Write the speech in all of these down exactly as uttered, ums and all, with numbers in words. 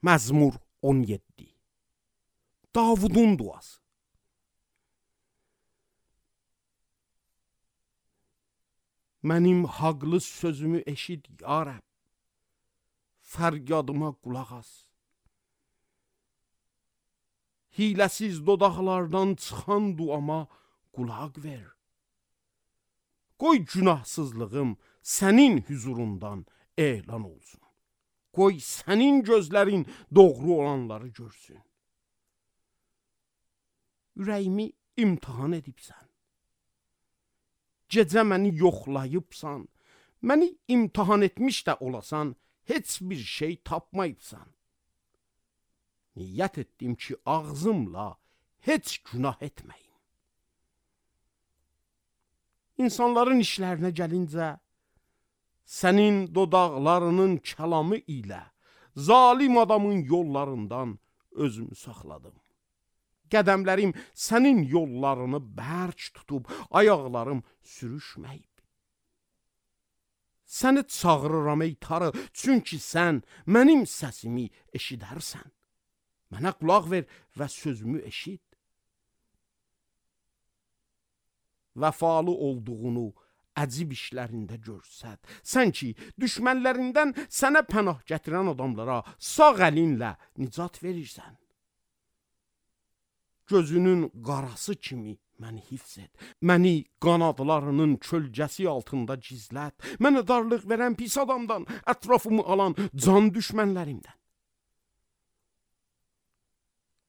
Məzmur on yeddi. Davudun duası. Mənim haqlı sözümü eşit ya Rəbb, fəryadıma qulaq as. Hiləsiz dodaqlardan çıxan duama qulaq ver. Qoy günahsızlığım sənin huzurundan elan olsun. Qoy sənin gözlərin doğru olanları görsün. Ürəyimi imtihan edibsən. Gecə məni yoxlayıbsan. Məni imtihan etmiş də olasan, heç bir şey tapmayıbsan. Niyyət etdim ki, ağzımla heç günah etməyim. İnsanların işlərinə gəlincə, sənin dodaqlarının kəlamı ilə zalim adamın yollarından özümü saxladım. Qədəmlərim sənin yollarını bərk tutub, ayaqlarım sürüşməyib. Səni çağırıram ey Tanrı, çünki sən mənim səsimi eşidərsən. Mənə qulaq ver və sözümü eşit. Vəfalı olduğunu əcib işlərində görsət. Sən ki, düşmənlərindən sənə pənah gətirən adamlara sağ əlinlə nicat verirsən. Gözünün qarası kimi məni hifz et. Məni qanadlarının kölgəsi altında gizlət. Mənə darlıq verən pis adamdan, ətrafımı alan can düşmənlərimdən.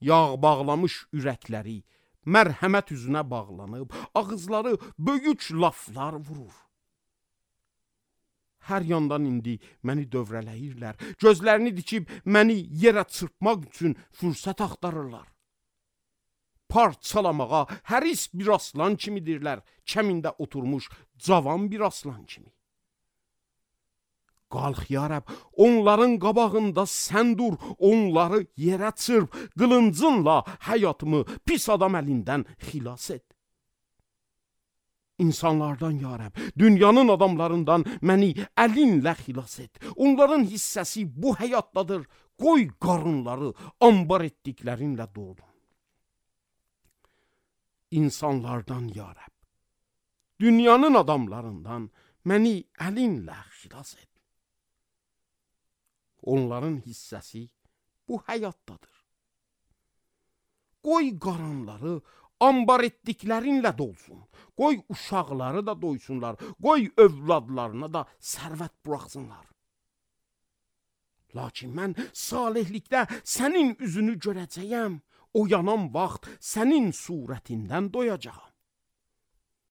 Yağ bağlamış ürəkləri mərhəmət üzünə bağlanıb, ağızları böyük laflar vurur. Hər yandan indi məni dövrələyirlər. Gözlərini dikib məni yerə çırpmaq üçün fürsət axtarırlar. Parçalamağa həris bir aslan kimidirlər, kəmində oturmuş cavan bir aslan kimi. Qalx ya Rəbb, onların qabağında sən dur, onları yerə çırp, qılıncınla həyatımı pis adam əlindən xilas et. İnsanlardan ya Rəbb, dünyanın adamlarından məni əlinlə xilas et. Onların hissəsi bu həyatdadır, qoy qarınları ambar etdiklərinlə dolsun. İnsanlardan ya Rəbb, dünyanın adamlarından məni əlinlə xilas et. Onların hissəsi bu həyatdadır. Qoy qaranları ambar etdiklərinlə dolsun. Qoy uşaqları da doysunlar. Qoy övladlarına da sərvət buraxsınlar. Lakin mən salihlikdə sənin üzünü görəcəyəm. Oyanan vaxt sənin surətindən doyacağam.